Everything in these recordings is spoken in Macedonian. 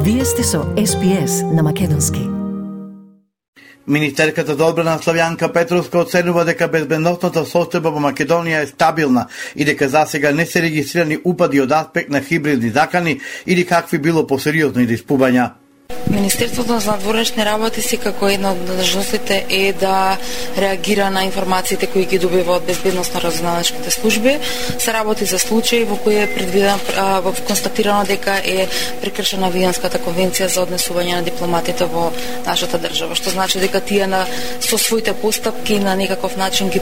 Вие сте со SPS на македонски. Министерката за одбрана Славјанка Петровска оценува дека безбедносната состојба во Македонија е стабилна и дека засега не се регистрирани упади од аспект на хибридни закани или какви било посериозни диспувања. Министерството за надворешни работи секако една од должностите е да реагира на информациите кои ги добива од безбедносно-разузнавачките служби. Се работи за случаи во кои е предвидено констатирано дека е прекршена Виенската конвенција за однесување на дипломатите во нашата држава, што значи дека тие со своите постапки на некаков начин ги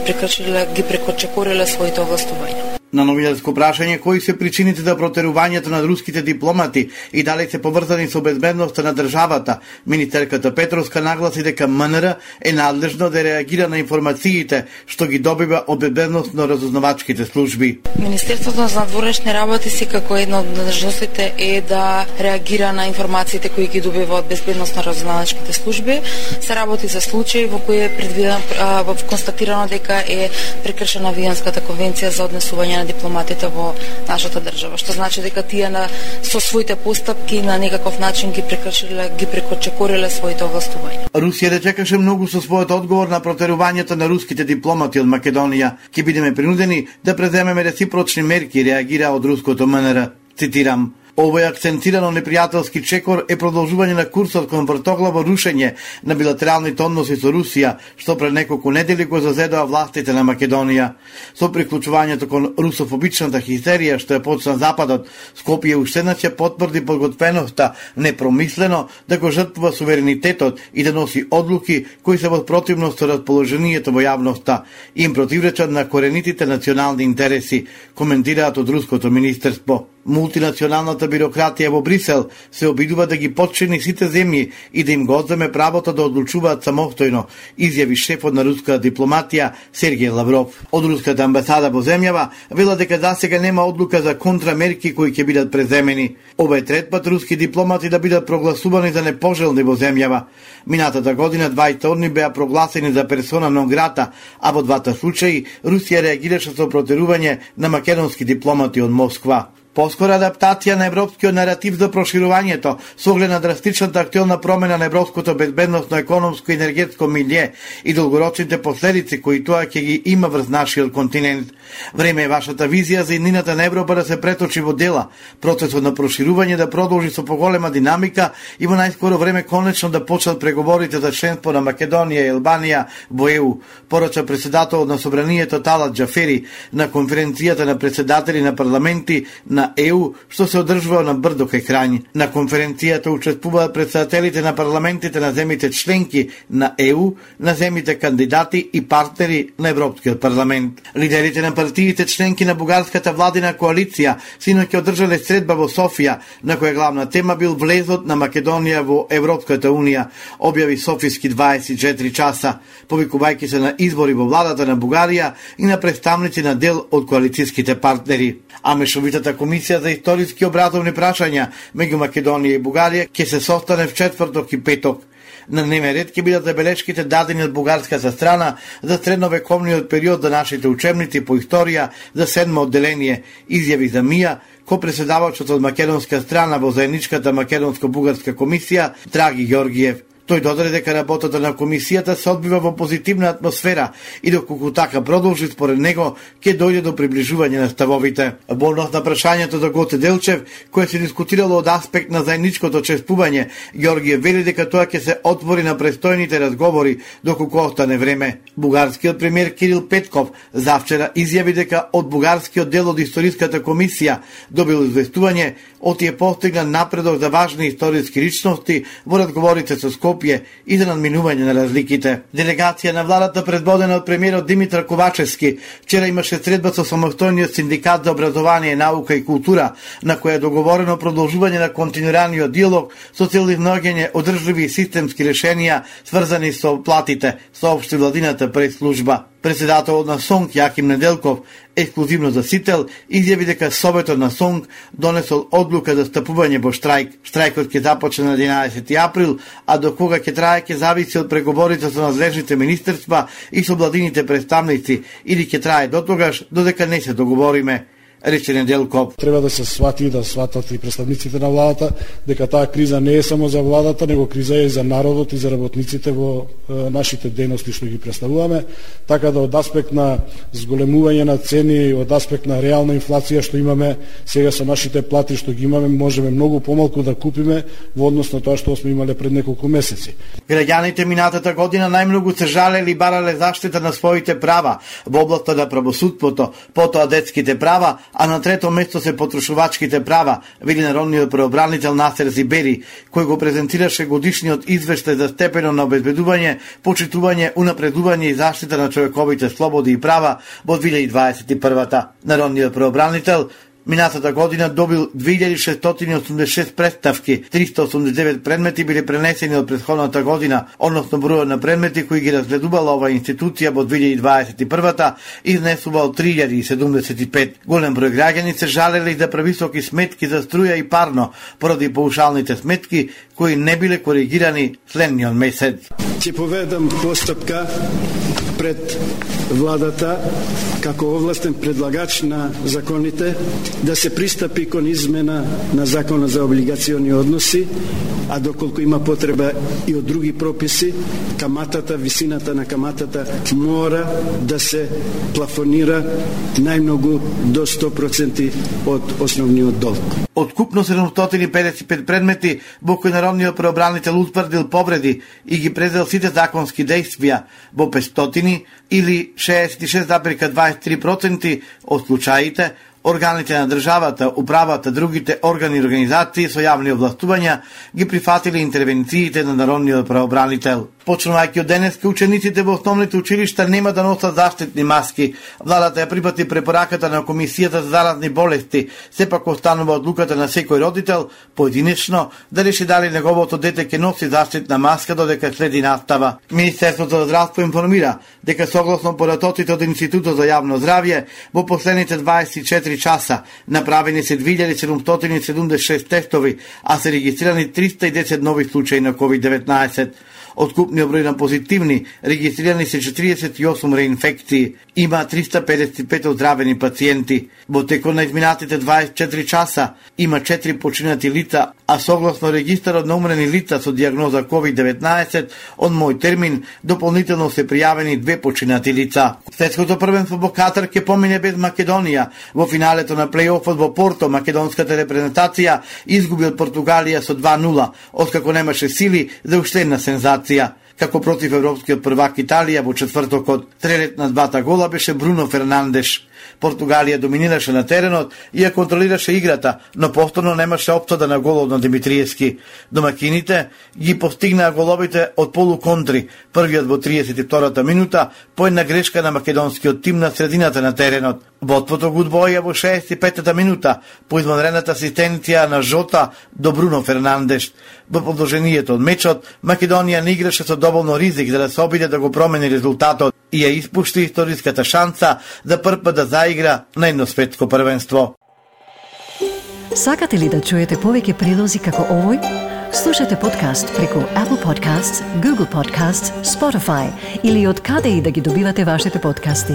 прекочекориле своите овластувања. На новинарско прашање кои се причините за протерувањето на руските дипломати и дали се поврзани со безбедноста на државата, министерката Петровска нагласи дека МНР е надлежно да реагира на информациите што ги добива од безбедносно-разузнавачките служби. Министерството за надворешни работи секако една од должностите е да реагира на информациите кои ги добива од безбедносно-разузнавачките служби. Се работи за случаи во кои е предвидено констатирано дека е прекршена Виенската конвенција за однесување на дипломатите во нашата држава, што значи дека тие со своите постапки на некаков начин ги прекочекориле своите овластувања. Русија не чекаше многу со својот одговор на протерувањето на руските дипломати од Македонија. Ќе бидеме принудени да преземеме реципрочни мерки, реагира од руското МНР. Цитирам: овој акцентирано непријателски чекор е продолжување на курсот кон вртоглаво рушење на билатералните односи со Русија, што пред неколку недели го зазедоа властите на Македонија. Со приклучувањето кон русофобичната хистерија што е почна Западот, Скопје уште еднаш потврди подготвеноста непромислено да го жртвува суверенитетот и да носи одлуки кои се во противност со расположението во јавноста, им противречат на коренитите национални интереси, коментираат од руското министерство. Мултинационалната бирократија во Брисел се обидува да ги подчини сите земји и да им го одземе правото да одлучуваат самостојно, изјави шефот на руската дипломатија Сергеј Лавров. Од руската амбасада во земјава вела дека засега нема одлука за контрамерки кои ќе бидат преземени. Ова е трет пат руски дипломати да бидат прогласувани за непожелни во земјава. Минатата година 20 одни беа прогласени за персона нон грата, а во двата случаи Русија реагираше со протерување на македонски дипломати од Москва. Поскора адаптација на европскиот наратив за проширувањето со оглед на драстичната актуелна промена на европското безбедносно, економско и енергетско милје и долгорочните последици кои тоа ќе ги има врз нашиот континент. Време е вашата визија за иднината на Европа да се преточи во дела, процесот на проширување да продолжи со поголема динамика и во најскоро време конечно да почнат преговорите за членство на Македонија и Албанија во ЕУ, порача председателот на Собранието Талат Џафери на конференцијата на председатели на парламенти на ЕУ, што се одржува на Брдо кај Крањ. На конференцијата учествуваат председателите на парламентите на земите членки на ЕУ, на земите кандидати и партнери на Европскиот парламент. Лидерите на партиите членки на бугарската владина коалиција синоќ одржале средба во Софија, на која главна тема бил влезот на Македонија во Европската унија, објави Софиски 24 часа, повикувајќи се на избори во владата на Бугарија и на представници на дел од коалицијските партнери. А мешовитата комисија за историски образовни прашања меѓу Македонија и Бугарија ќе се состане в четврток и петок. На дневен ред ќе бидат забелешките дадени од бугарската страна за средновековниот период за нашите учебници по историја за 7 одделение, изјави за МИА, ко-преседавачот од македонска страна во заедничката македонско-бугарска комисија Драги Ѓоргиев. Тој додаде дека работата на комисијата се одбива во позитивна атмосфера и доколку така продолжи, според него ќе дојде до приближување на ставовите. Во однос на прашањето за Гоце Делчев, кое се дискутирало од аспект на заедничкото чествување, Ѓоргиев вели дека тоа ќе се отвори на престојните разговори доколку остане време. Бугарскиот премиер Кирил Петков завчера изјави дека од бугарскиот дел од историската комисија добил известување отие постигна напредок за важни историски личности во разговорите со Скопје и за надминување на разликите. Делегација на владата предводена од премиерот Димитар Ковачевски вчера имаше средба со самостојниот синдикат за образование, наука и култура, на која е договорено продолжување на континуираниот диалог со цел изнаоѓање одржливи и системски решенија сврзани со платите, соопшти владината прес-служба. Председателот на СОНК Јаким Неделков, ексклузивно за Сител, изјави дека Советот на СОНК донесол одлука за стапување во штрајк. Штрајкот ќе започне на 11 април, а до кога ќе трае ќе зависи од преговорите со надлежните министерства и со владините представници, или ќе трае дотогаш додека не се договориме. рече Неделков. Треба да се свати, да сватат и представниците на владата, дека таа криза не е само за владата, него криза е и за народот и за работниците во нашите дејности што ги представуваме, така да од аспект на зголемување на цени, од аспект на реална инфлација што имаме сега со нашите плати што ги имаме, можеме многу помалку да купиме во однос на тоа што сме имале пред неколку месеци. Граѓаните минатата година најмногу се жалели и барале заштита на своите права во областта на правосудството, потоа детските права, а на трето место се потрошувачките права, вели народниот правобранител Насер Зибери, кој го презентираше годишниот извештај за степено на обезбедување, почитување, унапредување и заштита на човековите слободи и права во 2021-та. Народниот правобранител минатата година добил 2686 представки, 389 предмети биле пренесени од претходната година, односно бројот на предмети кои ги разгледувала оваа институција во 2021-та изнесувал 3075. Голем број граѓани се жалели за превисоки сметки за струја и парно, поради паушалните сметки кои не биле коригирани следниот месец. Ќе поведам постапка пред владата како овластен предлагач на законите да се пристапи кон измена на Законот за облигациони односи, а доколку има потреба и од други прописи, каматата, висината на каматата мора да се плафонира најмногу до 100% од основниот долг. Откупно 755 предмети во кои народниот правобранител утврдил повреди и ги презел сите законски действија во 500 или 66,23% од случаите, органите на државата, управата, другите органи и организации со јавни овластувања ги прифатили интервенциите на народниот правобранител. Почнувајќи од денеска, учениците во основните училишта нема да носат заштитни маски. Владата ја припати препораката на Комисијата за заразни болести, сепак останува одлуката на секој родител поединечно да реши дали неговото дете ќе носи заштитна маска додека следи настава. Министерството за здравство информира дека согласно поратоците од Институтот за јавно здравје во последните 24 часа направени се 2776 тестови, а се регистрирани 310 нови случаи на COVID-19. Откупниот број на позитивни регистрирани се 48 реинфекции, има 355 оздравени пациенти. Во текот на изминатите 24 часа има 4 починати лица, а согласно регистарот на умрени лица со дијагноза COVID-19 од мој термин дополнително се пријавени 2 починати лица. Светското првенство во Катар ќе помине без Македонија. Во финалето на плејофот во Порто македонската репрезентација изгуби од Португалија со 2:0, откако немаше сили за уште една сензација. Како против европскиот првак Италија во четвртокот, стрелец на двата гола беше Бруно Фернандеш. Португалија доминираше на теренот и ја контролираше играта, но повторно немаше опсада на голот на Димитриевски. Домакините ги постигнаа головите од полуконтри, првиот во 32-та минута, по една грешка на македонскиот тим на средината на теренот. Водството го одвоија во 65-та минута, по извонредната асистенција на Жота до Бруно Фернандеш. Во продолжението од мечот, Македонија не играше со доволно ризик за да се обиде да го промени резултатот и ја испушти историската шанса за прв пат да заигра на едно светско првенство. Сакате ли да чуете повеќе прилози како овој? Слушате подкаст преку Apple Podcasts, Google Podcasts, Spotify или од каде и да ги добивате вашите подкасти.